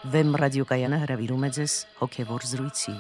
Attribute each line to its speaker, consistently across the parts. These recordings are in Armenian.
Speaker 1: Վեմ ռադիոկայանը հրավիրում է ձեզ հոգևոր զրույցի։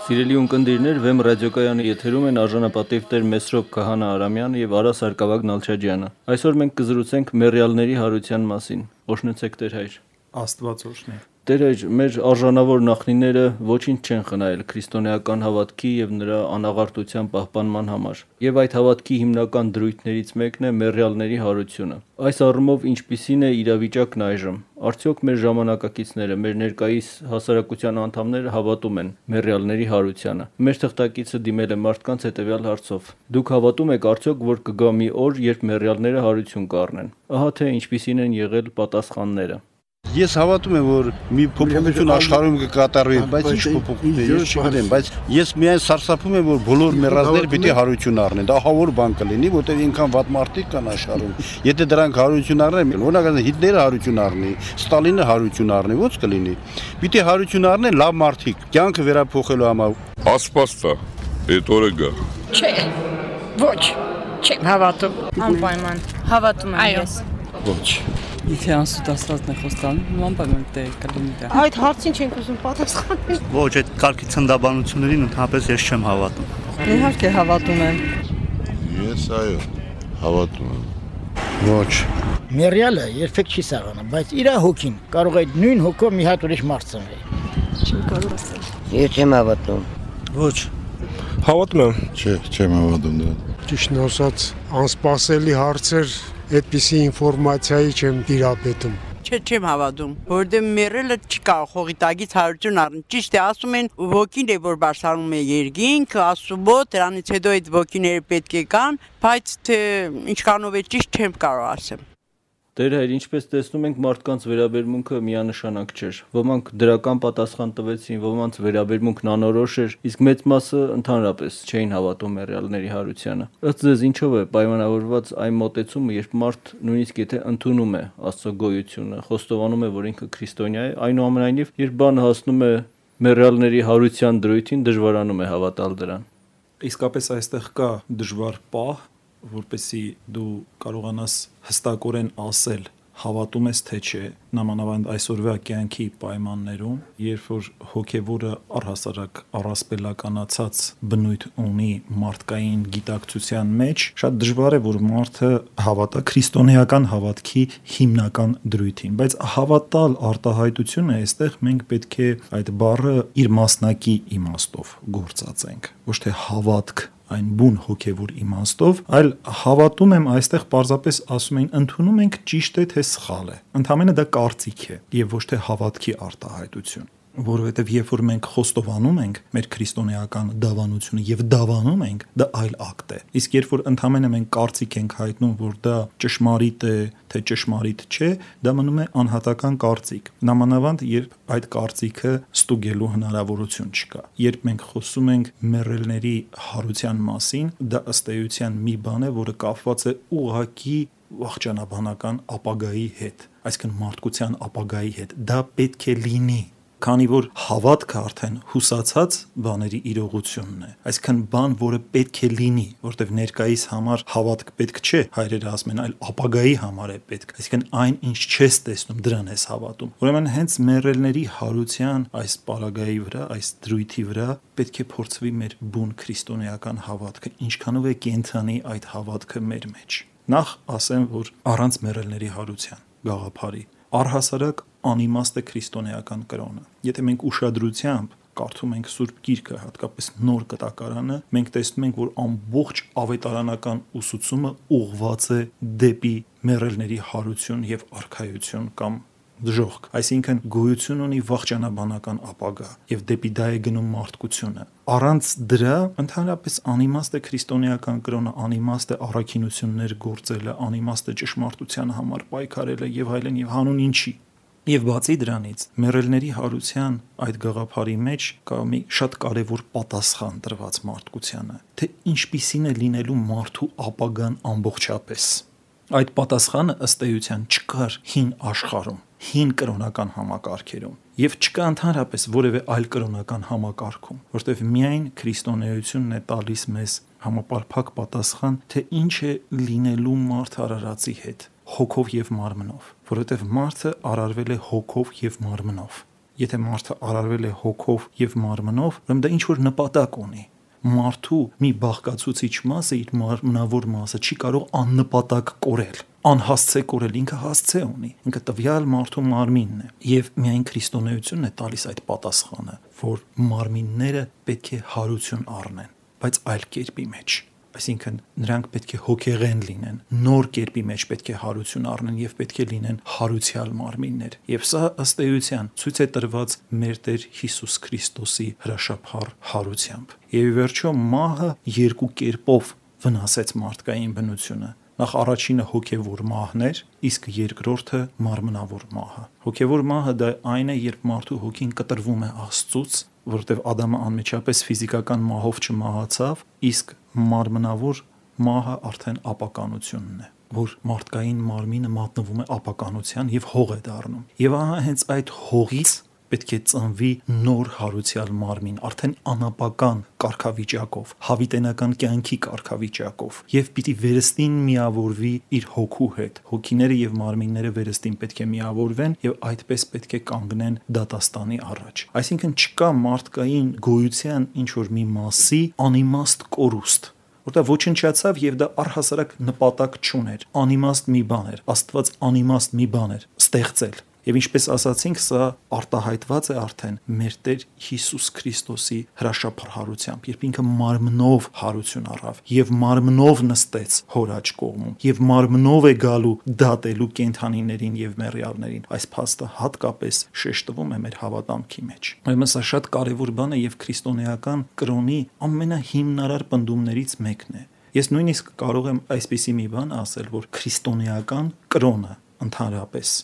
Speaker 2: Սիրելի ունկնդիրներ, Վեմ ռադիոկայանի եթերում են արժանապատիվ տեր Մեսրոպ Քահանա Արամյանը եւ Արա Սարգսակ Նալչաջյանը։ Այսօր մենք կզրուցենք մեռյալների հարության մասին։ Օշնեցեք Տեր հայր։
Speaker 3: Աստված օրհնի։
Speaker 2: Տեր հայր, մեր արժանավոր նախնիները ոչինչ չեն խնայել քրիստոնեական հավատքի եւ նրա անաղարտության պահպանման համար։ Եվ այդ հավատքի հիմնական դրույթներից մեկն է մեռյալների հարությունը։ Այս առումով ինչպիսին է իրավիճակն այժմ։ Արդյոք մեր ժամանակակիցները, մեր ներկայիս հասարակության անդամները հավատում են մեռյալների հարությանը։ Մեր թղթակիցը դիմել է մարդկանց հետևյալ հարցով. Դուք հավատում եք արդյոք, որ կգա մի օր, երբ մեռյալները հարություն կառնեն։ Ահա թե ինչպիսին են եղել պատասխանները։
Speaker 4: Ես հավատում եմ, որ մի փոփոխություն աշխարհում կկատարվի, բայց ինչ փոփոխություն է, ես չգիտեմ, բայց ես միայն սարսափում եմ, որ բոլոր մեռածները պիտի հարություն առնեն։ Դա հավոր բան կլինի, որտեղ ինքան վատ մարդիկ կան աշխարհում։ Եթե դրանք հարություն առնեն, օրինակ Հիտլերը հարություն առնի, Ստալինը հարություն առնի, ո՞նց կլինի։ Պիտի հարություն առնեն լավ մարդիկ, կյանքը վերափոխելու համար։
Speaker 5: Ասպաստա, այդ օրը գա։
Speaker 6: Չէ, ոչ, չեմ հավատում։
Speaker 7: Անպայման, հավատում եմ ես։
Speaker 4: Ոչ։
Speaker 8: Եթե անսուտ աստվածն է խոստանում, անպայման դե կլինի դա։
Speaker 6: Այդ հարցին չենք ուզում պատասխանել։
Speaker 9: Ոչ, այդ կարգի ցնդաբանություններին ընդհանրապես ես չեմ հավատում։
Speaker 8: Իհարկե հավատում եմ։
Speaker 5: Ես այո, հավատում եմ։
Speaker 4: Ոչ։
Speaker 10: Մեռյալը երբեք չի սաղանում, բայց իր հոգին կարող է նույն հոգով մի հատ ուրիշ մարդ ծնվել։
Speaker 8: Չեմ կարող ասել։
Speaker 10: Ես չեմ հավատում։
Speaker 9: Ոչ։
Speaker 5: Հավատում եմ։ Չէ, չեմ հավատում դրան։
Speaker 11: Ճիշտն ասած, անսպասելի հարցեր այդպիսի ինֆորմացիայի չեմ տիրապետում։
Speaker 6: Չէ, չեմ հավատում, որովհետև մեռելը չկա հողի տակից հարություն առնի։ Ճիշտ է, ասում են, ոգին է, որ բարձրանում է երկինք, ասուբոտ, դրանից հետո այդ ոգիները պետք է կան, բայց թե ինչքանով է ճիշտ չեմ կարող ասեմ։
Speaker 2: Տեր հայր, ինչպես տեսնում ենք, մարդկանց վերաբերմունքը միանշանակ չէր։ Ոմանք դրական պատասխան տվեցին, ոմանց վերաբերմունքն անորոշ էր, իսկ մեծ մասը ընդհանրապես չէին հավատում մեռյալների հարությանը։ Ըստ ձեզ ինչով է պայմանավորված այն մոտեցումը, երբ մարդ նույնիսկ եթե ընդունում է Աստծո գոյությունը, խոստովանում է, որ ինքը քրիստոնյա է, այնուամենայնիվ, երբ բանը հասնում է մեռյալների հարության դրույթին, դժվարանում է հավատալ դրան։
Speaker 3: Իսկապես այստեղ կա դժվար պահ, որպեսզի դու կարողանաս հստակորեն ասել հավատում ես թե չէ, նամանավանդ այսօրվա կյանքի պայմաններում, երբ որ հոգևորը առհասարակ առասպելականացած բնույթ ունի մարդկային գիտակցության մեջ, շատ դժվար է, որ մարդը հավատա քրիստոնեական հավատքի հիմնական դրույթին, բայց հավատալ արտահայտությունը այստեղ մենք պետք է այդ բառը իր մասնակի իմաստով գործածենք, ոչ թե հավատք այն բուն հոգևոր իմաստով, այլ հավատում եմ այստեղ պարզապես ասում են ընդունում ենք ճիշտ է թե սխալ է։ Ընդհանրապես դա կարծիք է եւ ոչ թե հավատքի արտահայտություն, որովհետեւ երբ որ մենք խոստովանում ենք մեր քրիստոնեական դավանությունը եւ դավանում ենք, դա այլ ակտ է։ Իսկ երբ որ ընդհանրապես մենք կարծիք ենք հայտնում, որ դա ճշմարիտ է, թե ճշմարիտ չէ, դա մնում է անհատական կարծիք։ Նամանավանդ երբ այդ կարծիքը ստուգելու հնարավորություն չկա։ Երբ մենք խոսում ենք մեռելների հարության մասին, դա ըստ էության մի բան է, որը կապված է ուղղակի վախճանաբանական ապագայի հետ, այսինքն մարդկության ապագայի հետ։ Դա պետք է լինի, քանի որ հավատքը արդեն հուսացած բաների իրողությունն է, այսինքն բան, որը պետք է լինի, որտեղ ներկայիս համար հավատք պետք չէ, հայրերը ասում են, այլ ապագայի համար է պետք, այսինքն այն, ինչ չես տեսնում, դրան ես հավատում։ Ուրեմն հենց մեռելների հարության այս պարագայի վրա, այս դրույթի վրա պետք է փորձվի մեր բուն քրիստոնեական հավատքը, ինչքանով է կենդանի այդ հավատքը մեր մեջ։ Նախ ասեմ, որ առանց մեռելների հարության գաղափարի առհասարակ անիմաստ է քրիստոնեական կրոնը։ Եթե մենք ուշադրությամբ կարդում ենք Սուրբ Գիրքը, հատկապես Նոր Կտակարանը, մենք տեսնում ենք, որ ամբողջ ավետարանական ուսուցումը ուղղված է դեպի մեռելների հարություն եւ արքայություն կամ դժոխք, այսինքն գոյություն ունի վախճանաբանական ապագա եւ դեպի դա է գնում մարդկությունը։ Առանց դրա ընդհանրապես անիմաստ է քրիստոնեական կրոնը, անիմաստ է առաքինություններ գործելը, անիմաստ է ճշմարտության համար պայքարելը եւ այլն եւ հանուն ինչի։ Եվ բացի դրանից, մեռելների հարության այդ գաղափարի մեջ կա մի շատ կարևոր պատասխան տրված մարդկությանը, թե ինչպիսին է լինելու մարդու ապագան ամբողջապես։ Այդ պատասխանը ըստ էության չկար հին աշխարհում, հին կրոնական համակարգերում եւ չկա ընդհանրապես որևէ այլ կրոնական համակարգում, որտեղ միայն քրիստոնեությունն է տալիս մեզ համապարփակ պատասխան, թե ինչ է լինելու մարդ արարածի հետ, հոգով եւ մարմնով, որովհետեւ մարդը արարվել է հոգով եւ մարմնով։ Եթե մարդը արարվել է հոգով եւ մարմնով, ուրեմն դա ինչ որ նպատակ ունի։ Մարդու մի բաղկացուցիչ մասը իր մարմնավոր մասը չի կարող աննպատակ կորել, անհասցե կորել, ինքը հասցե ունի, ինքը տվյալ մարդու մարմինն է, եւ միայն քրիստոնեությունն է տալիս այդ պատասխանը, որ մարմինները պետք է հարություն առնեն, բայց այլ կերպի մեջ, այսինքն նրանք պետք է հոգեղեն լինեն, նոր կերպի մեջ պետք է հարություն առնեն եւ պետք է լինեն հարուցյալ մարմիններ, եւ սա ըստ էության ցույց է տրված մեր Տեր Հիսուս Քրիստոսի հրաշափառ հարությամբ։ Եվ վերջո մահը երկու կերպով վնասեց մարդկային բնությունը։ Նախ առաջինը հոգևոր մահն էր, իսկ երկրորդը մարմնավոր մահը։ Հոգևոր մահը դա այն է, երբ մարդու հոգին կտրվում է Աստծուց, որովհետև Ադամը անմիջապես ֆիզիկական մահով չմահացավ, իսկ մարմնավոր մահը արդեն ապականությունն է, որ մարդկային մարմինը մատնվում է ապականության եւ հող է դառնում։ Եվ ահա հենց այդ հողից պետք է ծնվի նոր հարուցյալ մարմին, արդեն անապական կարգավիճակով, հավիտենական կյանքի կարգավիճակով, եւ պիտի վերստին միավորվի իր հոգու հետ։ Հոգիները եւ մարմինները վերստին պետք է միավորվեն եւ այդպես պետք է կանգնեն դատաստանի առաջ։ Այսինքն չկա մարդկային գոյության ինչ որ մի մասի անիմաստ կորուստ, որտեղ ոչնչացավ եւ դա առհասարակ նպատակ չուներ, անիմաստ մի բան էր, Աստված անիմաստ մի բան էր ստեղծել։ Եվ ինչպես ասացինք, սա արտահայտված է արդեն մեր Տեր Հիսուս Քրիստոսի հրաշափառ հարությամբ, երբ ինքը մարմնով հարություն առավ եւ մարմնով նստեց հոր աջ կողմում եւ մարմնով է գալու դատելու կենդանիներին եւ մեռյալներին։ Այս փաստը հատկապես շեշտվում է մեր հավատամքի մեջ։ Ուրեմն սա շատ կարեւոր բան է եւ քրիստոնեական կրոնի ամենահիմնարար պնդումներից մեկն է։ Ես նույնիսկ կարող եմ այսպիսի մի բան ասել, որ քրիստոնեական կրոնը ընդհանրապես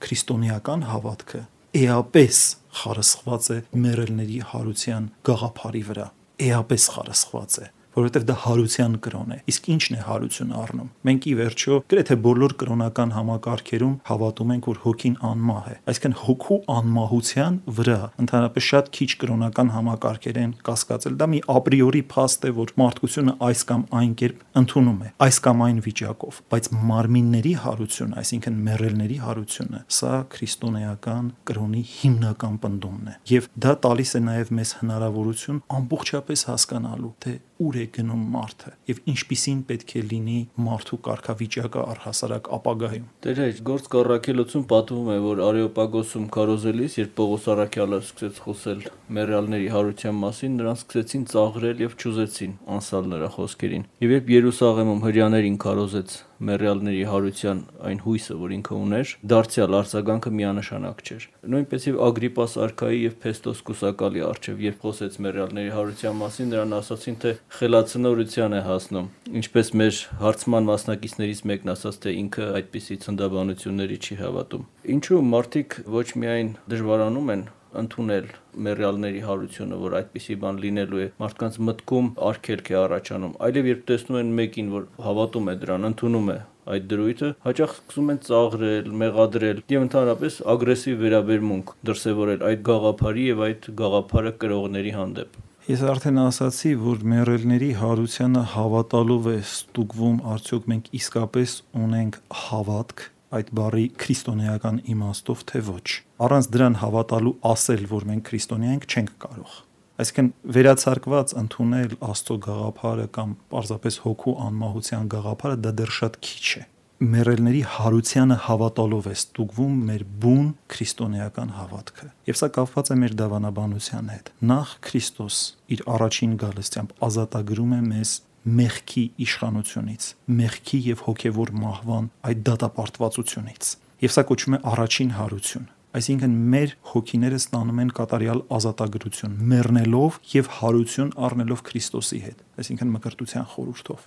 Speaker 3: քրիստոնեական հավատքը էապես խարսխված է մեռելների հարության գաղափարի վրա, էապես խարսխված է, որովհետև դա հարության կրոն է։ Իսկ ի՞նչն է հարություն առնում։ Մենք ի վերջո գրեթե բոլոր կրոնական համակարգերում հավատում ենք, որ հոգին անմահ է։ Այսինքն հոգու անմահության վրա ընդհանրապես շատ քիչ կրոնական համակարգեր են կասկածել։ Դա մի ապրիորի փաստ է, որ մարդկությունը այս կամ այն կերպ ընդունում է, այս կամ այն վիճակով, բայց մարմինների հարությունը, այսինքն մեռելների հարությունը, սա քրիստոնեական կրոնի հիմնական պնդումն է։ Եվ դա տալիս է նաև մեզ հնարավորություն ամբողջապես հասկանալու, թե ուր է գնում մարդը եւ ինչպիսին պետք է լինի մարդու կարգավիճակը առհասարակ ապագայում։
Speaker 2: Տեր հայր, գործ Առաքելոցում պատմվում է, որ Արեոպագոսում քարոզելիս, երբ Պողոս առաքյալը սկսեց խոսել մեռյալների հարության մասին, նրանց սկսեցին ծաղրել եւ ճուզեցին անսալ նրա խոսքերին։ Եվ երբ Երուսաղեմում հրյաներին քարոզեց մեռյալների հարության այն հույսը, որ ինքը ուներ, դարձյալ արձագանքը միանշանակ չէր։ Նույնպես եւ Ագրիպաս արքայի եւ Փեստոս կուսակալի արչեւ, երբ խոսեց մեռյալների հարության մասին, նրան ասացին, թե խելացնորության է հասնում, ինչպես մեր հարցման մասնակիցներից մեկն ասաց, թե ինքը այդպիսի ցնդաբանությունների չի հավատում։ Ինչու մարդիկ ոչ միայն դժվարանում են ընդունել մեռյալների հարությունը, որ այդպիսի բան լինելու է, մարդկանց մտքում արգելք է առաջանում, այլև երբ տեսնում են մեկին, որ հավատում է դրան, ընդունում է այդ դրույթը, հաճախ սկսում են ծաղրել, մեղադրել եւ ընդհանրապես ագրեսիվ վերաբերմունք դրսեւորել այդ գաղափարի եւ այդ գաղափարը կրողների հանդեպ։
Speaker 3: Ես արդեն ասացի, որ մեռելների հարությանը հավատալով է ստուգվում, արդյոք մենք իսկապես ունենք հավատք այդ բառի քրիստոնեական իմաստով, թե ոչ։ Առանց դրան հավատալու ասել, որ մենք քրիստոնյա ենք, չենք կարող։ Այսինքն վերացարկված ընդունել Աստծո գաղափարը կամ պարզապես հոգու անմահության գաղափարը դա դեռ շատ քիչ է։ Մեռելների հարությանը հավատալով է ստուգվում մեր բուն քրիստոնեական հավատքը։ Եվ սա կապված է մեր դավանաբանության հետ։ Նախ Քրիստոս իր առաջին գալստությամբ ազատագրում է մեզ մեղքի իշխանությունից, մեղքի եւ հոգեվոր մահվան այդ դատապարտվածությունից։ Եվ սա կոչվում է առաջին հարություն։ Այսինքն մեր հոգիները ստանում են կատարյալ ազատագրություն, մեռնելով եւ հարություն առնելով Քրիստոսի հետ, այսինքն մկրտության խորհրդով։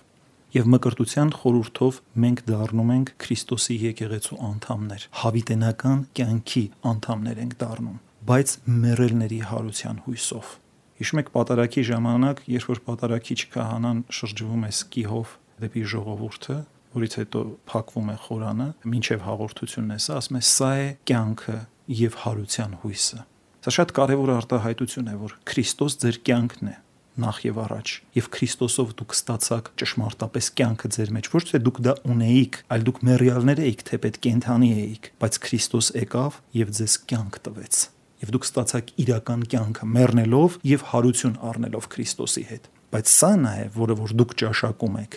Speaker 3: Եվ մկրտության խորհրդով մենք դառնում ենք Քրիստոսի եկեղեցու անդամներ, հավիտենական կյանքի անդամներ ենք դառնում, բայց մեռելների հարության հույսով։ Հիշում եք պատարագի ժամանակ, երբ որ պատարագիչ քահանան շրջվում է սկիհով դեպի ժողովուրդը, որից հետո փակվում է խորանը, մինչև հաղորդությունն է սա, ասում է սա է կյանքը եւ հարության հույսը։ Սա շատ կարևոր արտահայտություն է, որ Քրիստոս ձեր կյանքն է։ նախ եւ առաջ, եւ Քրիստոսով դուք ստացաք ճշմարտապես կյանքը ձեր մեջ, ոչ թե դուք դա ունեիք, այլ դուք մեռյալներ էիք, թեպետ կենդանի էիք, բայց Քրիստոս եկավ եւ ձեզ կյանք տվեց։ Եվ դուք ստացաք իրական կյանքը մեռնելով եւ հարություն առնելով Քրիստոսի հետ։ Բայց սա նա է, որը որ դուք ճաշակում եք,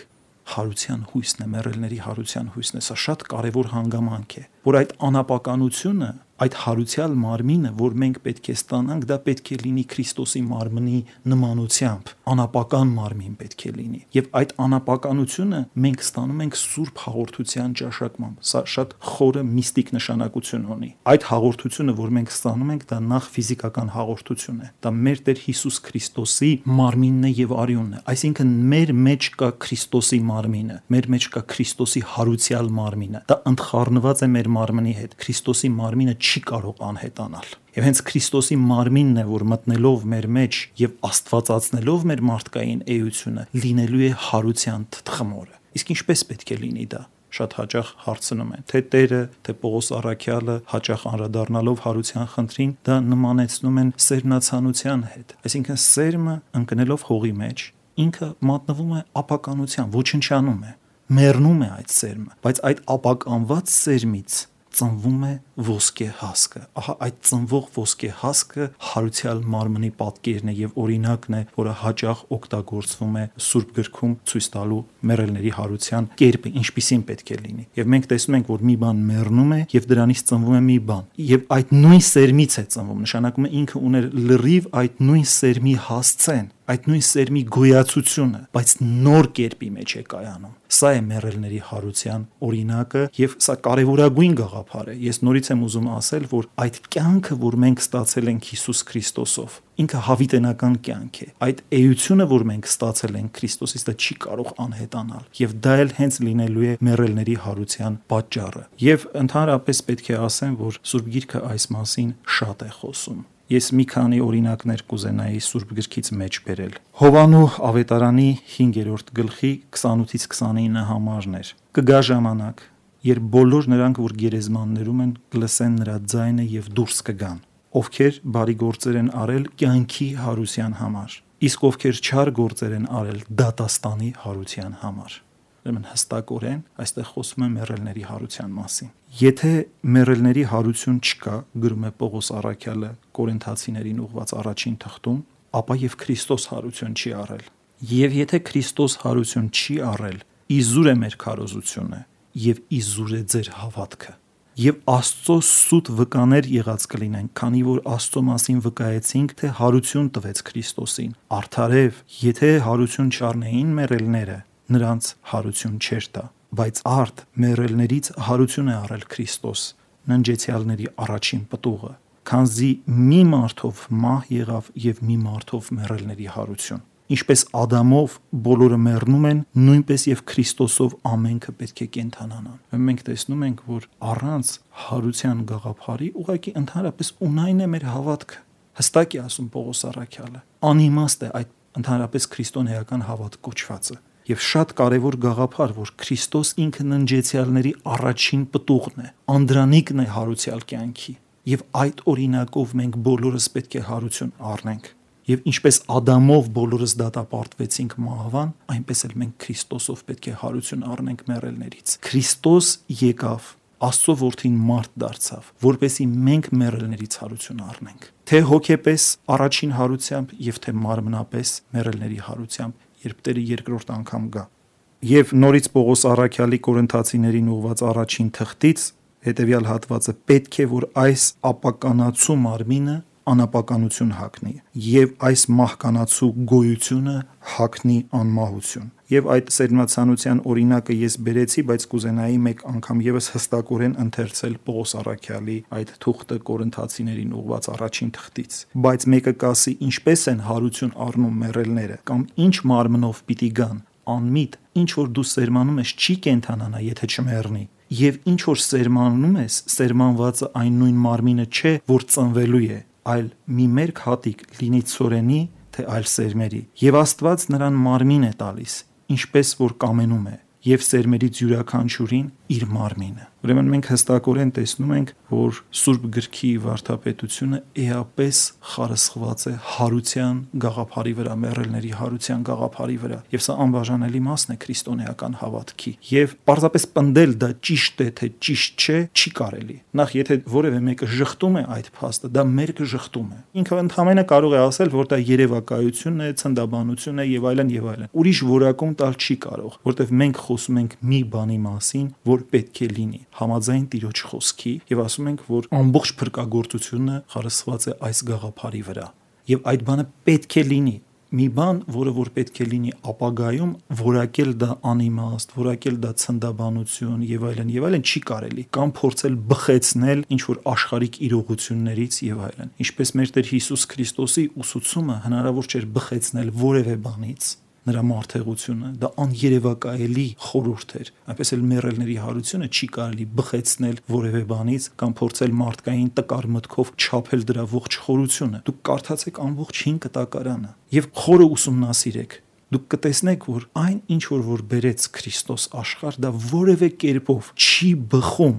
Speaker 3: հարության հույսն է, մեռելների հարության հույսն է, սա շատ կարևոր հանգամանք է, որ այդ անապականությունը, այդ հարուցյալ մարմինը, որ մենք պետք է ստանանք, դա պետք է լինի Քրիստոսի մարմնի նմանությամբ, անապական մարմին պետք է լինի։ Եվ այդ անապականությունը մենք ստանում ենք Սուրբ հաղորդության ճաշակմամբ։ Սա շատ խորը միստիկ նշանակություն ունի։ Այդ հաղորդությունը, որ մենք ստանում ենք, դա նախ ֆիզիկական հաղորդություն է։ Դա մեր Տեր Հիսուս Քրիստոսի մարմինն է եւ արյունն է։ Այսինքն մեր մեջ կա Քրիստոսի մարմինը, մեր մեջ կա Քրիստոսի հարուցյալ մարմինը։ Դա ընդխառնված է մեր մարմնի հետ։ Քրիստոսի մարմինը չի կարող անհետանալ։ Եվ հենց Քրիստոսի մարմինն է, որ մտնելով մեր մեջ եւ աստվածացնելով մեր մարդկային էությունը, լինելու է հարության թթխմորը։ Իսկ ինչպես պետք է լինի դա։ Շատ հաճախ հարցնում են, թե Տերը, թե Պողոս առաքյալը հաճախ անդրադառնալով հարության խնդրին, դա նմանեցնում են սերմնացանության հետ։ Այսինքն սերմը ընկնելով հողի մեջ, ինքը մատնվում է ապականության, ոչնչանում է, մեռնում է այդ սերմը, բայց այդ ապականված սերմից ծնվում է ոսկե հասկը։ Ահա այդ ծնվող ոսկե հասկը հարուցյալ մարմնի պատկերն է եւ օրինակն է, որը հաճախ օգտագործվում է Սուրբ գրքում ցույց տալու մեռելների հարության կերպը, ինչպիսին պետք է լինի։ Եվ մենք տեսնում ենք, որ մի բան մեռնում է եւ դրանից ծնվում է մի բան։ Եվ այդ նույն սերմից է ծնվում, նշանակում է ինքը ուներ լրիվ այդ նույն սերմի հասցեն, այդ նույն սերմի գոյացությունը, բայց նոր կերպի մեջ է կայանում։ Սա է մեռելների հարության օրինակը եւ սա կարեւորագույն գաղափար է։ Ես նորից եմ ուզում ասել, որ այդ կյանքը, որ մենք ստացել ենք Հիսուս Քրիստոսով, ինքը հավիտենական կյանք է։ Այդ էությունը, որ մենք ստացել ենք Քրիստոսից, դա չի կարող անհետանալ։ Եվ դա էլ հենց լինելու է մեռելների հարության պատճառը։ Եվ ընդհանրապես պետք է ասեմ, որ Սուրբ Գիրքը այս մասին շատ է խոսում։ Ես մի քանի օրինակներ կուզենայի Սուրբ գրքից մեջ բերել։ Հովանու ավետարանի 5-րդ գլխի 28-ից 29 համարներ։ Կգա ժամանակ, երբ բոլոր նրանք, որ գերեզմաններում են, կլսեն նրա ձայնը եւ դուրս կգան, ովքեր բարի գործեր են արել կյանքի հարության համար, իսկ ովքեր չար գործեր են արել դատաստանի հարության համար։ Ուրեմն հստակորեն այստեղ խոսում է մեռելների հարության մասին։ Եթե մեռելների հարություն չկա, գրում է Պողոս առաքյալը Կորինթացիներին ուղված առաջին թղթում, ապա եւ Քրիստոս հարություն չի առել։ Եվ եթե Քրիստոս հարություն չի առել, իզուր է մեր քարոզությունը եւ իզուր է ձեր հավատքը։ Եվ Աստծո սուտ վկաներ եղած կլինեն, քանի որ Աստծո մասին վկայեցինք, թե հարություն տվեց Քրիստոսին։ Արդարև, եթե հարություն չառնեին մեռելները, նրանց հարություն չէր տա, բայց արդ մեռելներից հարություն է առել Քրիստոս, ննջեցյալների առաջին պտուղը, քանզի մի մարդով մահ եղավ եւ մի մարդով մեռելների հարություն։ Ինչպես Ադամով բոլորը մեռնում են, նույնպես եւ Քրիստոսով ամենքը պետք է կենդանանան։ Մենք տեսնում ենք, որ առանց հարության գաղափարի ուղղակի ընդհանրապես ունայն է մեր հավատքը։ Հստակ է ասում Պողոս առաքյալը։ Անիմաստ է այդ ընդհանրապես քրիստոնեական հավատ կոչվածը։ Եվ շատ կարևոր գաղափար, որ Քրիստոս ինքը ննջեցյալների առաջին պտուղն է, անդրանիկն է հարուցյալ կյանքի։ Եվ այդ օրինակով մենք բոլորս պետք է հարություն առնենք։ Եվ ինչպես Ադամով բոլորս դատապարտվեցինք մահվան, այնպես էլ մենք Քրիստոսով պետք է հարություն առնենք մեռելներից։ Քրիստոս եկավ, Աստծո որդին մարդ դարձավ, որպեսզի մենք մեռելներից հարություն առնենք։ Թե հոգեպես առաջին հարությամբ եւ թե մարմնապես մեռելների հարությամբ, երբ Տերը երկրորդ անգամ գա։ Եվ նորից Պողոս առաքյալի Կորինթացիներին ուղված առաջին թղթից հետևյալ հատվածը պետք է որ այս ապականացու մարմինը անապականություն հագնի եւ այս մահկանացու գոյությունը հագնի անմահություն։ Եվ այդ սերմնացանության օրինակը ես բերեցի, բայց կուզենայի մեկ անգամ եւս հստակորեն ընթերցել Պողոս առաքյալի այդ թուղթը Կորինթացիներին ուղված առաջին թղթից։ Բայց մեկը կասի, ինչպես են հարություն առնում մեռելները, կամ ինչ մարմնով պիտի գան, անմիտ, ինչ որ դու սերմանում ես չի կենթանանա, եթե չմեռնի։ Եվ ինչ որ սերմանում ես, սերմանվածը այն նույն մարմինը չէ, որ ծնվելու է, այլ մի մերկ հատիկ լինի ցորենի, թե այլ սերմերի։ Եվ Աստված նրան մարմին է տալիս, ինչպես որ կամենում է, եւ սերմերից յուրաքանչյուրին իր մարմինը։ Ուրեմն մենք հստակորեն տեսնում ենք, որ Սուրբ գրքի վարդապետությունը էապես խարսխված է հարության գաղափարի վրա, մեռելների հարության գաղափարի վրա, եւ սա անբաժանելի մասն է քրիստոնեական հավատքի։ Եվ պարզապես պնդել դա ճիշտ է թե ճիշտ չէ, չի կարելի։ Նախ եթե որևէ մեկը ժխտում է այդ փաստը, դա մերկը ժխտում է։ Ինքը ընդհանրապես կարող է ասել, որ դա երևակայություն է, ցնդաբանություն է եւ այլն եւ այլն։ Ուրիշ որակում տալ չի կարող, որտեվ մենք խոսում ենք մի բանի մասին, որ պետք է լինի համաձայն Տիրոջ խոսքի եւ ասում ենք, որ ամբողջ փրկagorցությունը խարսխված է այս գաղափարի վրա եւ այդ բանը պետք է լինի։ Մի բան, որը որ պետք է լինի ապագայում, որակել դա անիմաստ, որակել դա ցնդաբանություն եւ այլն չի կարելի, կամ փորձել բխեցնել ինչ որ աշխարհիկ իրողություններից եւ այլն։ Ինչպես մեր Տեր Հիսուս Քրիստոսի ուսուցումը հնարավոր չէր բխեցնել որևէ բանից, նրա մարդեղությունը, դա աներևակայելի խորհուրդ էր։ Այնպես էլ մեռելների հարությունը չի կարելի բխեցնել որևէ բանից կամ փորձել մարդկային տկար մտքով չափել դրա ողջ խորությունը։ Դուք կարդացեք ամբողջ 5 կտակարանը եւ խորը ուսումնասիրեք։ Դուք կտեսնեք, որ այն ինչ որ բերեց Քրիստոս աշխարհ, դա որևէ կերպով չի բխում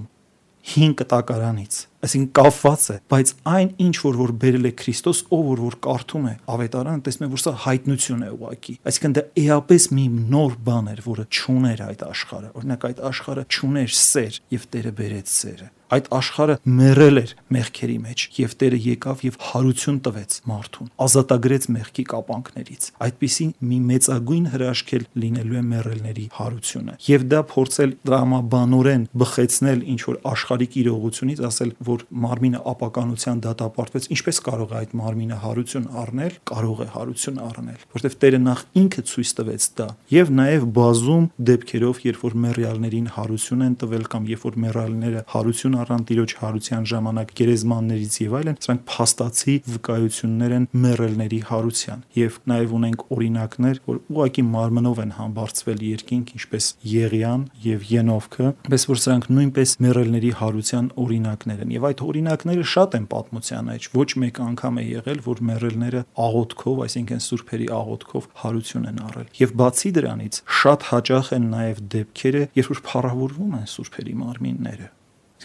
Speaker 3: 5 կտակարանից, այսինքն կապված է, բայց այն ինչ որ բերել է Քրիստոս, ով որ կարդում է Ավետարանը, տեսնում է, որ սա հայտնություն է ուղակի, այսինքն դա էապես մի նոր բան էր, որը չուներ այդ աշխարհը, օրինակ այդ աշխարհը չուներ սեր եւ Տերը բերեց սերը, այդ աշխարհը մեռել էր մեղքերի մեջ եւ Տերը եկավ եւ հարություն տվեց մարդուն, ազատագրեց մեղքի կապանքներից, այդպիսի մի մեծագույն հրաշք էլ լինելու է մեռելների հարությունը եւ դա փորձել դրամաբանորեն բխեցնել ինչ որ աշխարհիկ իրողությունից, ասել, որ մարմինը ապականության դատապարտվեց, ինչպես կարող է այդ մարմինը հարություն առնել, կարող է հարություն առնել, որովհետև Տերը նախ ինքը ցույց տվեց դա, եւ նաեւ բազում դեպքերով, երբ որ մեռյալներին հարություն են տվել կամ երբ որ մեռյալները հարություն առան Տիրոջ հարության ժամանակ գերեզմաններից եւ այլն, սրանք փաստացի վկայություններ են մեռելների հարության, եւ նաեւ ունենք օրինակներ, որ ուղղակի մարմնով են համբարձվել երկինք, ինչպես Եղիան եւ Ենովքը, պես որ սրանք նույնպես մեռելների հարության օրինակներ են, եւ այդ օրինակները շատ են պատմության մեջ, ոչ մեկ անգամ է եղել, որ մեռելները աղոթքով, այսինքն սուրբերի աղոթքով հարություն են առել, եւ բացի դրանից շատ հաճախ են նաեւ դեպքերը, երբ որ փառավորվում են սուրբերի մարմինները,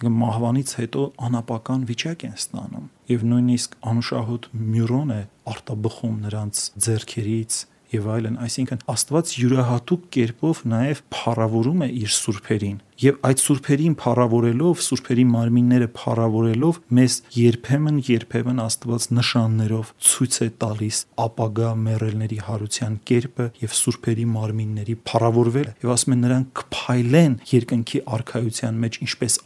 Speaker 3: մահվանից հետո անապական վիճակ են ստանում եւ նույնիսկ անուշահոտ մյուրոն է արտաբխում նրանց ձեռքերից եւ այլն, այսինքն Աստված յուրահատուկ կերպով նաեւ փառավորում է իր սուրբերին եւ այդ սուրբերին փառավորելով, սուրբերի մարմինները փառավորելով մեզ երբեմն Աստված նշաններով ցույց է տալիս ապագա մեռելների հարության կերպը եւ սուրբերի մարմինների փառավորվելը եւ ասում են նրանք կփայլեն երկնքի արքայության մեջ ինչպես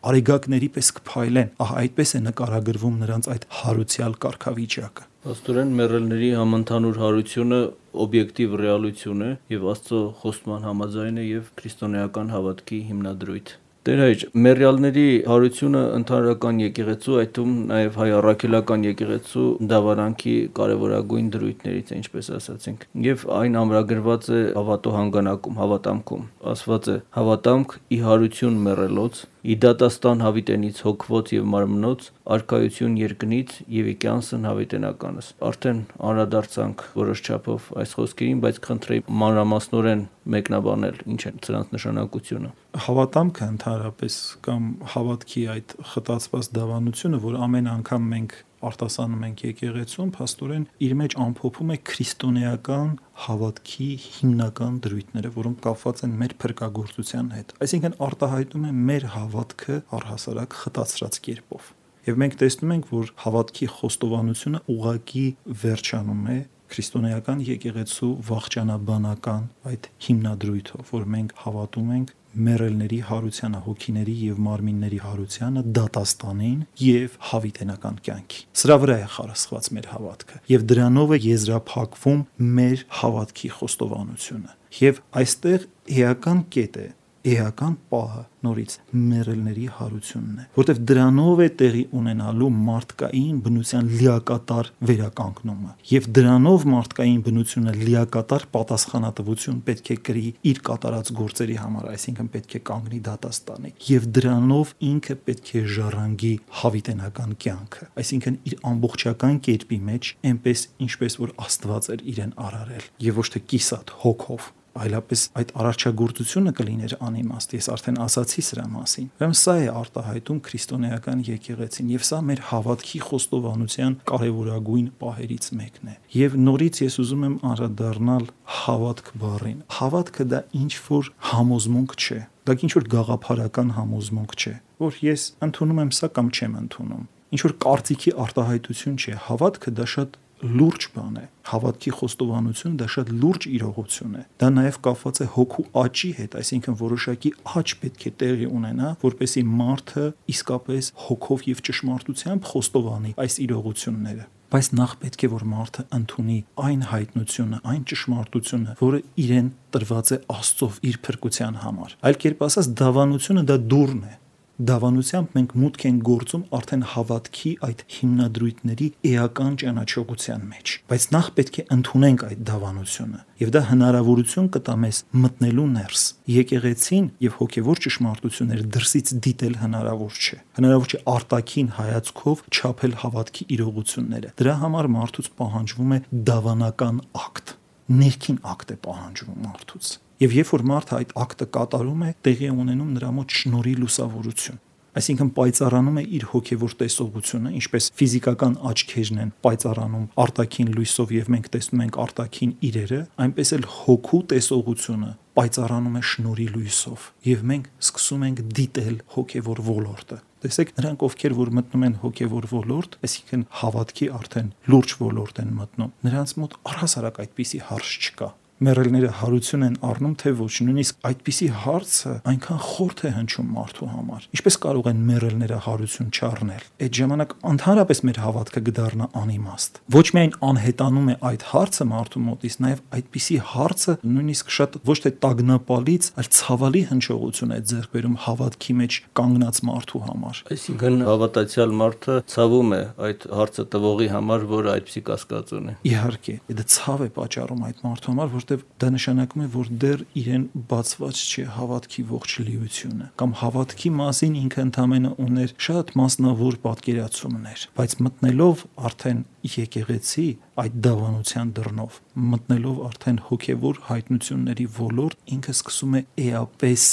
Speaker 3: արեգակների պես կփայլեն, ահա այդպես է նկարագրվում նրանց այդ հարուցյալ կարգավիճակը։
Speaker 2: Աստորեն մեռելների համընդհանուր հարությունը օբյեկտիվ ռեալություն է եւ Աստծո խոստման համաձայն է եւ քրիստոնեական հավատքի հիմնադրույթ։ Տեր հայր, մեռյալների հարությունը ընդհանրական եկեղեցու, այդ թվում նաև հայ առաքելական եկեղեցու դավարանքի կարևորագույն դրույթներից է, ինչպես ասացինք, եւ այն ամրագրված է հավատո հանգանակում, հավատամքում։ Ասված է. հավատամք ի հարություն մեռելոց, ի դատաստան հավիտենից հոգվոց եւ մարմնոց, արքայություն երկնից եւ ի կյանսն հավիտենականս։ Արդեն անդրադարձանք որոշ չափով այս խոսքերին, բայց խնդրեի մանրամասնորեն մեկնաբանել ինչ է սրանց նշանակությունը։
Speaker 3: Հավատամքը ընդհանրապես կամ հավատքի այդ խտացված դավանությունը, որ ամեն անգամ մենք արտասանում ենք եկեղեցում, փաստորեն իր մեջ ամփոփում է քրիստոնեական հավատքի հիմնական դրույթները, որոնք կապված են մեր փրկagorցության հետ։ Այսինքն արտահայտում է մեր հավատքը առհասարակ խտացրած կերպով։ Եվ մենք տեսնում ենք, որ հավատքի խոստովանությունը ուղղակի վերջանում է քրիստոնեական եկեղեցու վախճանաբանական այդ հիմնադրույթով, որ մենք հավատում ենք մեռելների հարությանը, հոգիների եւ մարմինների հարությանը, դատաստանին եւ հավիտենական կյանքի։ Սրա վրա է խարսխված մեր հավատքը եւ դրանով է եզրափակվում մեր հավատքի խոստովանությունը։ Եվ այստեղ էական կետ է, էական պահը նորից մեռելների հարությունն է, որտեղ դրանով է տեղի ունենալու մարդկային բնության լիակատար վերականգնումը եւ դրանով մարդկային բնությունը լիակատար պատասխանատվություն պետք է կրի իր կատարած գործերի համար, այսինքն պետք է կանգնի դատաստանի եւ դրանով ինքը պետք է ժառանգի հավիտենական կյանքը, այսինքն իր ամբողջական կերպի մեջ այնպես ինչպես որ Աստված էր իրեն արարել եւ ոչ թե կիսատ հոգով այլապես այդ արարչագործությունը կլիներ անիմաստ։ Ես արդեն ասացի սրա մասին։ Ուրեմն սա է արտահայտում քրիստոնեական եկեղեցին, եւ սա մեր հավատքի խոստովանության կարևորագույն պահերից մեկն է։ Եվ նորից ես ուզում եմ անդրադառնալ հավատք բառին։ Հավատքը դա ինչ որ համոզմունք չէ, դա ինչ որ գաղափարական համոզմունք չէ, որ ես ընդունում եմ սա կամ չեմ ընդունում։ Ինչ որ կարծիքի արտահայտություն չէ, հավատքը դա շատ լուրջ բան է։ Հավատքի խոստովանությունը դա շատ լուրջ իրողություն է։ Դա նաև կապված է հոգու աճի հետ, այսինքն որոշակի աճ պետք է տեղի ունենա, որպեսզի մարդը իսկապես հոգով եւ ճշմարտությամբ խոստովանի այս իրողությունները։ Բայց նախ պետք է որ մարդը ընդունի այն հայտնությունը, այն ճշմարտությունը, որը իրեն տրված է Աստծով իր փրկության համար։ Այլ կերպ ասած, դավանությունը դա դուռն է։ Դավանությամբ մենք մուտք ենք գործում արդեն հավատքի այդ հիմնադրույթների էական ճանաչողության մեջ, բայց նախ պետք է ընդունենք այդ դավանությունը, եւ դա հնարավորություն կտա մեզ մտնելու ներս։ Եկեղեցին եւ հոգեվոր ճշմարտությունները դրսից դիտել հնարավոր չէ։ Հնարավոր չէ արտաքին հայացքով չափել հավատքի իրողությունները։ Դրա համար մարդուց պահանջվում է դավանական ակտ, ներքին ակտ է պահանջվում մարդուց։ Եվ երբ որ մարդը այդ ակտը կատարում է, տեղի է ունենում նրա մոտ շնորհի լուսավորություն։ Այսինքն պայծառանում է իր հոգևոր տեսողությունը, ինչպես ֆիզիկական աչքերն են պայծառանում արտաքին լույսով եւ մենք տեսնում ենք արտաքին իրերը, այնպես էլ հոգու տեսողությունը պայծառանում է շնորհի լույսով եւ մենք սկսում ենք դիտել հոգևոր ոլորտը։ Տեսեք, նրանք ովքեր որ մտնում են հոգևոր ոլորտ, այսինքն հավատքի արդեն լուրջ ոլորտ են մտնում, նրանց մոտ առհասարակ այդպիսի հարց չկա։ Մեռելները հարություն են առնում, թե ոչ, նույնիսկ այդպիսի հարցը այնքան խորթ է հնչում մարդու համար։ Ինչպես կարող են մեռելները հարություն չառնել։ Այդ ժամանակ ընդհանրապես մեր հավատքը կդառնա անիմաստ։ Ոչ միայն անհետանում է այդ հարցը մարդու մոտից, նաև այդպիսի հարցը նույնիսկ շատ ոչ թե տագնապալից, այլ ցավալի հնչողություն է ձեռք բերում հավատքի մեջ կանգնած մարդու համար։
Speaker 2: Այսինքն հավատացյալ մարդը ցավում է այդ հարցը տվողի համար, որը այդպիսի կասկած ունի։
Speaker 3: Իհարկե, դա ցավ է պատճառում այդ մարդու համար, որտեղ դա նշանակում է, որ դեռ իրեն բացված չէ հավատքի ողջ լիությունը, կամ հավատքի մասին ինքը ընդամենը ուներ շատ մասնավոր պատկերացումներ, բայց մտնելով արդեն եկեղեցի այդ դավանության դռնով, մտնելով արդեն հոգևոր հայտնությունների ոլորտ, ինքը սկսում է էապես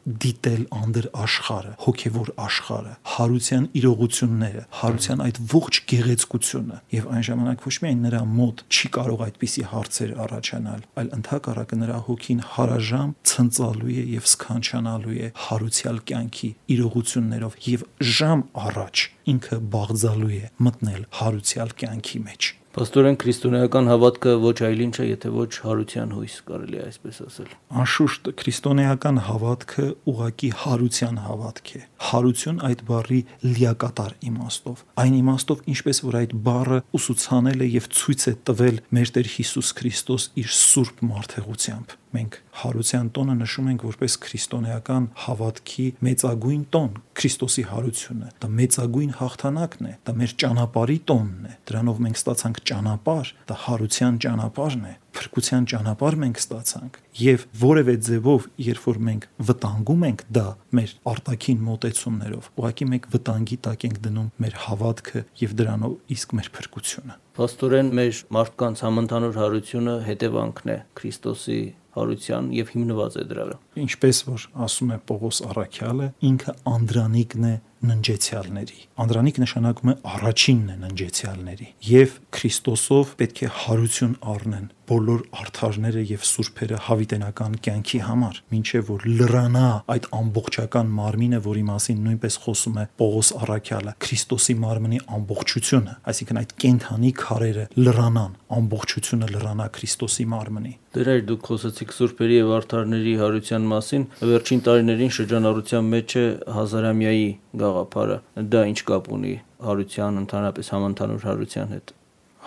Speaker 3: դիտել անդր աշխարհը, հոգևոր աշխարհը, հարության իրողությունները, հարության այդ ողջ գեղեցկությունը, եւ այն ժամանակ ոչ միայն նրա մոտ չի կարող այդպիսի հարցեր առաջանալ, այլ ընդհակառակը նրա հոգին հարաժամ ցնծալու է եւ սքանչանալու է հարուցյալ կյանքի իրողություններով եւ ժամ առաջ ինքը բաղձալու է մտնել հարուցյալ կյանքի մեջ։
Speaker 2: Պաստորեն քրիստոնեական հավատքը ոչ այլ ինչ է, եթե ոչ հարության հույս, կարելի է այսպես ասել։
Speaker 3: Անշուշտ քրիստոնեական հավատքը ուղղակի հարության հավատք է։ Հարություն այդ բառի լիակատար իմաստով։ Այն իմաստով, ինչպես որ այդ բառը ուսուցանել է եւ ցույց է տվել մեր Տեր Հիսուս Քրիստոս իր սուրբ մարդեղությամբ։ Մենք հարության տոնը նշում ենք որպես քրիստոնեական հավատքի մեծագույն տոն, Քրիստոսի հարությունը։ Դա մեծագույն հաղթանակն է, դա մեր ճանապարհի տոնն է։ Դրանով մենք ստացանք ճանապարհ, դա հարության ճանապարհն է, փրկության ճանապարհ մենք ստացանք։ Եվ որևէ ձևով, երբ որ մենք վտանգում ենք դա մեր արտաքին մոտեցումներով, ուղղակի մենք վտանգի տակ ենք դնում մեր հավատքը եւ դրանով իսկ մեր փրկությունը։
Speaker 2: Պաստորեն մեր մարդկանց համընդհանուր հարությունը հետևանքն է Քրիստոսի հարության եւ հիմնված է դրա վրա։
Speaker 3: Ինչպես որ ասում է Պողոս առաքյալը, ինքը անդրանիկն է ննջեցյալների։ Անդրանիկ նշանակում է առաջինն է ննջեցյալների։ Եվ Քրիստոսով պետք է հարություն առնեն բոլոր արդարները եւ սուրբերը հավիտենական կյանքի համար, մինչեւ որ լրանա այդ ամբողջական մարմինը, որի մասին նույնպես խոսում է Պողոս առաքյալը, Քրիստոսի մարմնի ամբողջությունը, այսինքն այդ կենթանի քարերը լրանան, ամբողջությունը լրանա Քրիստոսի մարմնի։
Speaker 2: Դեր դուք խոսեցիք սուրբերի եւ արդարների հարության մասին, վերջին տարիներին շրջանառության մեջ է հազարամյայի գաղափարը, դա ինչ կապ ունի հարության, ընդհանրապես համընդհանուր հարության հետ։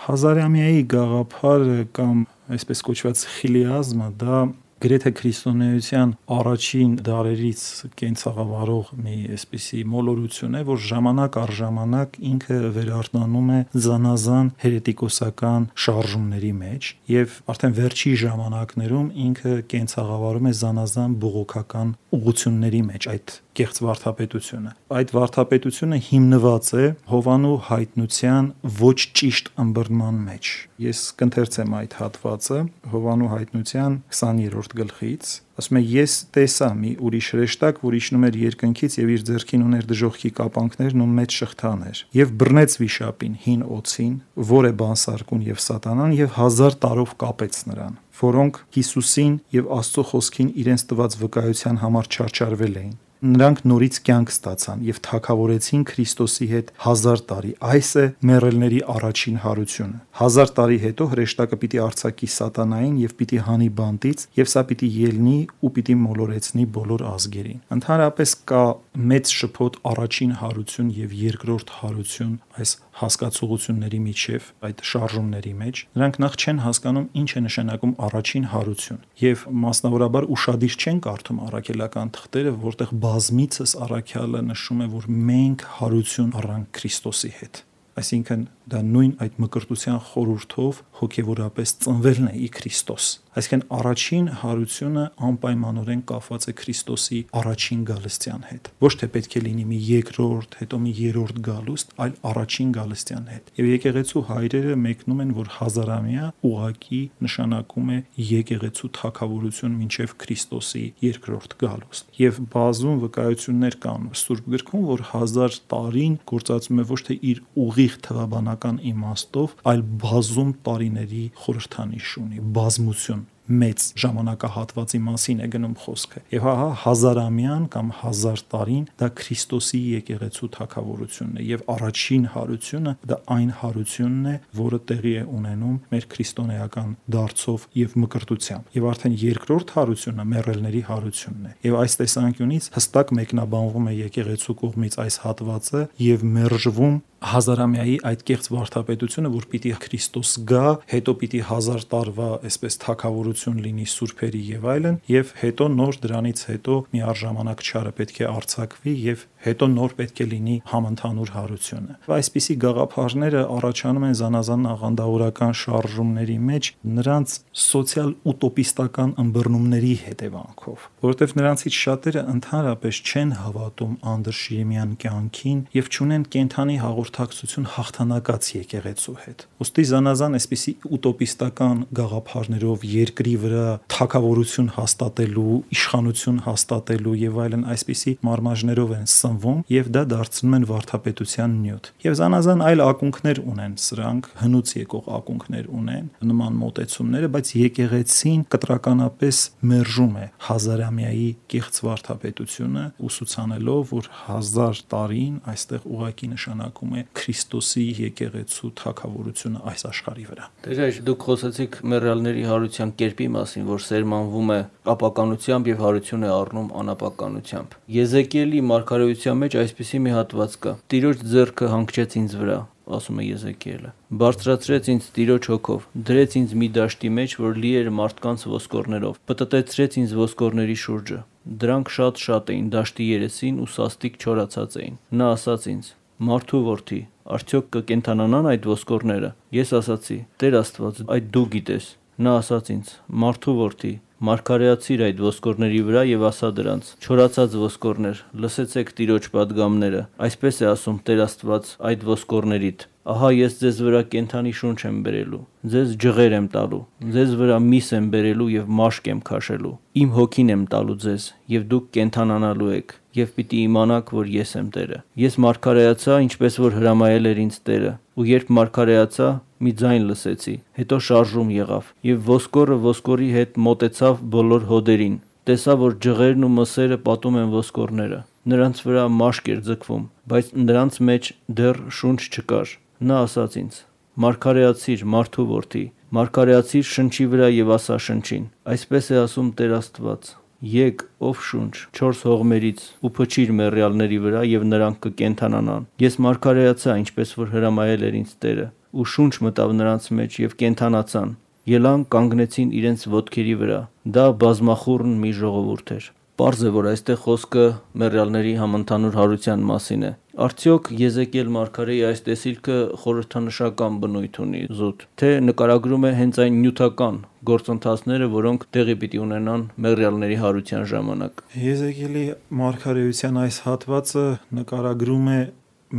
Speaker 3: Հազարամյայի գաղափարը կամ այսպես կոչված խիլիազմը դա գրեթե քրիստոնեության առաջին դարերից կենցաղավարող մի այսպիսի մոլորություն է, որ ժամանակ առ ժամանակ ինքը վերարտանում է զանազան հերետիկոսական շարժումների մեջ եւ արդեն վերջի ժամանակներում ինքը կենցաղավարում է զանազան բողոքական ուղղությունների մեջ այդ կեղծ վարդապետությունը։ Այդ վարդապետությունը հիմնված է Հովանու հայտնության ոչ ճիշտ ըմբռնման մեջ։ Ես կընթերցեմ այդ հատվածը Հովանու հայտնության 20-րդ 3-րդ գլխից, ասում է ես տեսա մի ուրիշ հրեշտակ, որ իջնում էր երկնքից եւ իր ձեռքին ուներ դժոխքի կապանքներն ու մեծ շղթաներ եւ բռնեց վիշապին հին օձին, որ է բանսարկուն եւ սատանան եւ 1000 տարով կապեց նրան, որոնք Հիսուսին եւ Աստծո խոսքին իրենց տված վկայության համար չարչարվել էին։ Նրանք նորից կյանք ստացան եւ թագավորեցին Քրիստոսի հետ 1000 տարի։ Այս է մեռելների առաջին հարությունը։ 1000 տարի հետո հրեշտակը պիտի արձակի սատանային եւ պիտի հանի բանտից եւ սա պիտի ելնի ու պիտի մոլորեցնի բոլոր ազգերին։ Ընդհանրապես կա մեծ շփոթ առաջին հարություն եւ երկրորդ հարություն այս հասկացողությունների միջև, այդ շարժումների մեջ։ Նրանք նախ չեն հասկանում ինչ է նշանակում առաջին հարություն եւ մասնավորաբար ուշադիր չեն կարդում առաքելական թղթերը, որտեղ բազմիցս առաքյալը նշում է, որ մենք հարություն առանք Քրիստոսի հետ։ Այսինքն դա նույն այդ մկրտության խորհրդով հոգևորապես ծնվելն է ի Քրիստոս։ Այսինքն առաջին հարությունը անպայմանորեն կապված է Քրիստոսի առաջին գալստյան հետ։ Ոչ թե պետք է լինի մի երկրորդ, հետո մի երրորդ գալուստ, այլ առաջին գալստյան հետ։ Եվ եկեղեցու հայրերը մեկնում են, որ հազարամյա ուղակի նշանակում է եկեղեցու թագավորություն մինչև Քրիստոսի երկրորդ գալուստ։ Եվ բազում վկայություններ կան Սուրբ գրքում, որ 1000 տարին գործածում է ոչ թե իր ուղիղ թվաբանական իմաստով, այլ բազում տարիների խորհրդանիշ ունի, բազմություն մեծ ժամանակահատվածի մասին է գնում խոսքը։ Եվ հա հազարամյան կամ 1000 տարին դա Քրիստոսի եկեղեցու թագավորությունն է եւ առաջին հարությունը դա այն հարությունն է, որը տեղի է ունենում մեր քրիստոնեական դարձով եւ մկրտությամբ։ Եվ արդեն երկրորդ հարությունը մեռելների հարությունն է։ Եվ այս տեսանկյունից հստակ մեկնաբանվում է եկեղեցու կողմից այս հատվածը եւ մերժվում հազարամյայի այդ կեղծ վարդապետությունը, որ պիտի Քրիստոս գա, հետո պիտի 1000 տարվա այսպես թագավորություն լինի սուրբերի եւ այլն, եւ հետո նոր դրանից հետո մի առժամանակ չարը պետք է արձակվի եւ հետո նոր պետք է լինի համընդհանուր հարությունը։ Այսպիսի գաղափարները առաջանում են զանազան աղանդավորական շարժումների մեջ նրանց սոցիալ ուտոպիստական ըմբռնումների հետևանքով, որովհետեւ նրանցից շատերը ընդհանրապես չեն հավատում անդրշիրիմյան կյանքին եւ չունեն կենթանի հաղորդակցություն հաղթանակած եկեղեցու հետ։ Ոստի զանազան այսպիսի ուտոպիստական գաղափարներով երկրի վրա թագավորություն հաստատելու, իշխանություն հաստատելու եւ այլն այսպիսի մարմաժներով են սնվում եւ դա դարձնում են վարդապետության նյութ։ Եվ զանազան այլ ակունքներ ունեն սրանք, հնուց եկող ակունքներ ունեն նման մոտեցումները, բայց եկեղեցին կտրականապես մերժում է հազարամյայի կեղծ վարդապետությունը, ուսուցանելով, որ 1000 տարին այստեղ ուղակի նշանակում է Քրիստոսի եկեղեցու թագավորությունը այս աշխարհի վրա։
Speaker 2: Տեր, դուք խոսեցիք մեռյալների հարության կերպի մասին, որ սերմանվում է ապականությամբ եւ հարություն է առնում անապականությամբ։ Եզեկիելի մարգարեության մեջ այսպիսի մի հատված կա. Տիրոջ ձեռքը հանգչեց ինձ վրա, ասում է Եզեկիելը, բարձրացրեց ինձ Տիրոջ հոգով, դրեց ինձ մի դաշտի մեջ, որ լի էր մարդկանց ոսկորներով, պտտեցրեց ինձ ոսկորների շուրջը, դրանք շատ էին դաշտի երեսին ու սաստիկ չորացած էին։ Նա ասաց ինձ. Մարդու որդի, արդյոք կկենթանանան այդ ոսկորները։ Ես ասացի. Տեր Աստված, այդ դու գիտես։ Նա ասաց ինձ. Մարդու որդի, մարգարեացիր այդ ոսկորների վրա եւ ասա դրանց. Չորացած ոսկորներ, լսեցեք Տիրոջ պատգամները, այսպես է ասում Տեր Աստված այդ ոսկորներիդ. Ահա ես ձեզ վրա կենթանի շունչ եմ բերելու, ձեզ ջղեր եմ տալու, ձեզ վրա միս եմ բերելու եւ մաշկ եմ քաշելու, իմ հոգին եմ տալու ձեզ եւ դուք կենթանանալու եք եւ պիտի իմանաք, որ ես եմ Տերը։ Ես մարգարեացա, ինչպես որ հրամայել էր ինձ Տերը, ու երբ մարգարեացա, մի ձայն լսեցի, հետո շարժում եղավ եւ ոսկորը ոսկորի հետ մոտեցավ բոլոր հոդերին, տեսա, որ ջղերն ու մսերը պատում են ոսկորները, նրանց վրա մաշկ էր ձգվում, բայց նրանց մեջ դեռ շունչ չկար։ Նա ասաց ինձ. Մարգարեացիր, մարդու որդի, մարգարեացիր շնչի վրա եւ ասա շնչին. Այսպես է ասում Տեր Աստված. Եկ, ով շունչ, 4 հողմերից ու փչիր մեռյալների վրա եւ նրանք կկենթանանան։ Ես մարգարեացա, ինչպես որ հրամայել էր ինձ Տերը, ու շունչ մտավ նրանց մեջ եւ կենթանացան։ Ելան կանգնեցին իրենց ոտքերի վրա։ Դա բազմախուռն մի ժողովուրդ էր։ Պարզ է, որ այստեղ խոսքը մեռյալների համընդհանուր հարության մասին է։ Արդյոք Եզեկիել մարգարեի այս տեսիլքը խորհրդանշական բնույթ ունի զուտ, թե նկարագրում է հենց այն նյութական գործընթացները, որոնք տեղի պիտի ունենան մեռյալների հարության ժամանակ։
Speaker 3: Եզեկիելի մարգարեության այս հատվածը նկարագրում է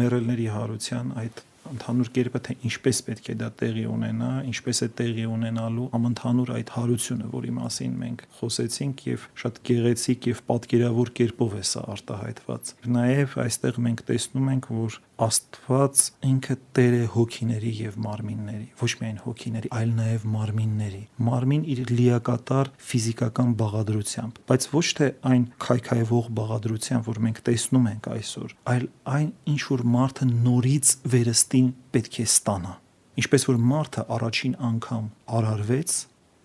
Speaker 3: մեռելների հարության այդ ընդհանուր կերպը, թե ինչպես պետք է դա տեղի ունենա, ինչպես է տեղի ունենալու համընդհանուր այդ հարությունը, որի մասին մենք խոսեցինք եւ շատ գեղեցիկ եւ պատկերավոր կերպով է սա արտահայտված։ Նաեւ այստեղ մենք տեսնում ենք, որ Աստված ինքը Տեր է հոգիների եւ մարմինների, ոչ միայն հոգիների, այլ նաեւ մարմինների։ Մարմին իր լիակատար ֆիզիկական բաղադրությամբ, բայց ոչ թե այն քայքայվող բաղադրությամբ, որ մենք տեսնում ենք այսօր, այլ այն, ինչ որ մարդը նորից վերստին պետք է ստանա։ Ինչպես որ մարդը առաջին անգամ արարվեց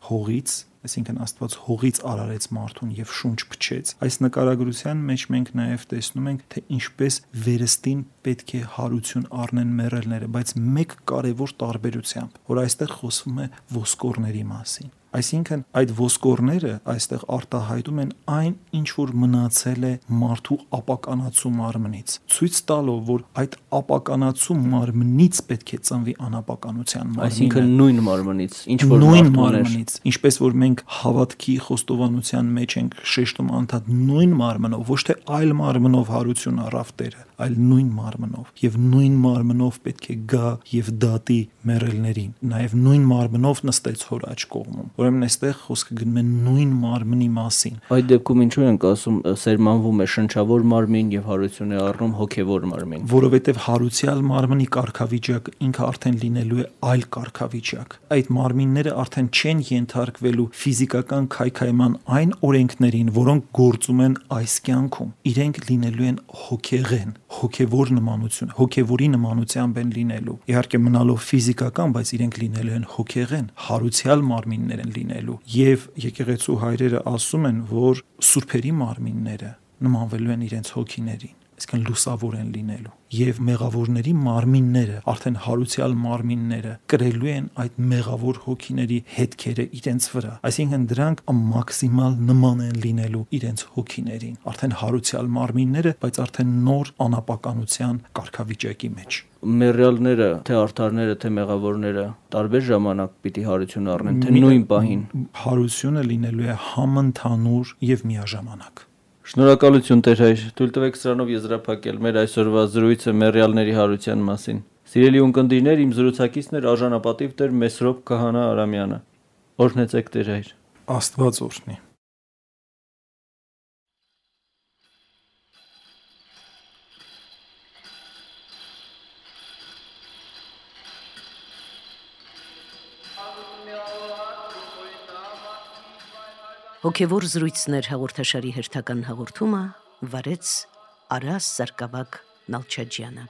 Speaker 3: հողից, այսինքն Աստված հողից արարեց մարդուն եւ շունչ փչեց, այս նկարագրության մեջ մենք նաեւ տեսնում ենք, թե ինչպես վերստին պետք է հարություն առնեն մեռելները, բայց մեկ կարևոր տարբերությամբ, որ այստեղ խոսվում է ոսկորների մասին։ Այսինքն այդ ոսկորները այստեղ արտահայտում են այն, ինչ որ մնացել է մարդու ապականացու մարմնից, ցույց տալով, որ այդ ապականացու մարմնից պետք է ծնվի անապականության մարմինը,
Speaker 2: այսինքն նույն մարմնից, ինչ որ
Speaker 3: նույն մարմնից, ինչպես որ մենք հավատքի խոստովանության մեջ ենք շեշտում անդադ նույն մարմնով, ոչ թե այլ մարմնով հարություն առավ Տերը, այլ նույն մարմնով, եւ նույն մարմնով պետք է գա եւ դատի մեռելներին, նաեւ նույն մարմնով նստեց հոր աջ կողմում։ Ուրեմն այստեղ խոսքը գնում է նույն մարմնի մասին։
Speaker 2: Այդ դեպքում ինչու ենք ասում սերմանվում է շնչավոր մարմին եւ հարություն է առնում հոգեվոր մարմին։
Speaker 3: Որովհետեւ հարուցյալ մարմնի կարգավիճակը ինքը արդեն լինելու է այլ կարգավիճակ։ Այդ մարմինները արդեն չեն ենթարկվելու ֆիզիկական քայքայման այն օրենքներին, որոնք գործում են այս կյանքում։ Իրենք լինելու են հոգեղեն, հոգեվոր նմանություն, հոգեվորի նմանությամբ են լինելու։ Իհարկե մնալով ֆիզիկական, բայց իրենք լինելու են հոգեղեն, հարուցյալ մարմիններ են լինելու։ Եվ եկեղեցու հայրերը ասում են, որ սուրբերի մարմինները նմանվելու են իրենց հոգիներին, այսինքն լուսավոր են լինելու, եւ մեղավորների մարմինները, արդեն հարուցյալ մարմինները կրելու են այդ մեղավոր հոգիների հետքերը իրենց վրա, այսինքն դրանք մաքսիմալ նման են լինելու իրենց հոգիներին, արդեն հարուցյալ մարմինները, բայց արդեն նոր անապականության կարգավիճակի մեջ։
Speaker 2: Մեռյալները, թե արդարները, թե մեղավորները տարբեր ժամանակ պիտի հարություն առնեն, թե նույն պահին։
Speaker 3: Հարությունը լինելու է համընդհանուր եւ միաժամանակ։
Speaker 2: Շնորհակալություն Տեր հայր, թույլ տվեք սրանով եզրափակել մեր այսօրվա զրույցը մեռյալների հարության մասին։ Սիրելի ունկնդիրներ, իմ զրուցակիցն էր արժանապատիվ Տեր Մեսրոպ Քահանա Արամյանը։ Օրհնեցեք Տեր հայր։
Speaker 3: Աստված օրհնի։
Speaker 1: Հոգևոր զրույցներ հաղորդաշարի հերթական հաղորդումը վարեց Արաս Սարգսակ Նալչաջյանը։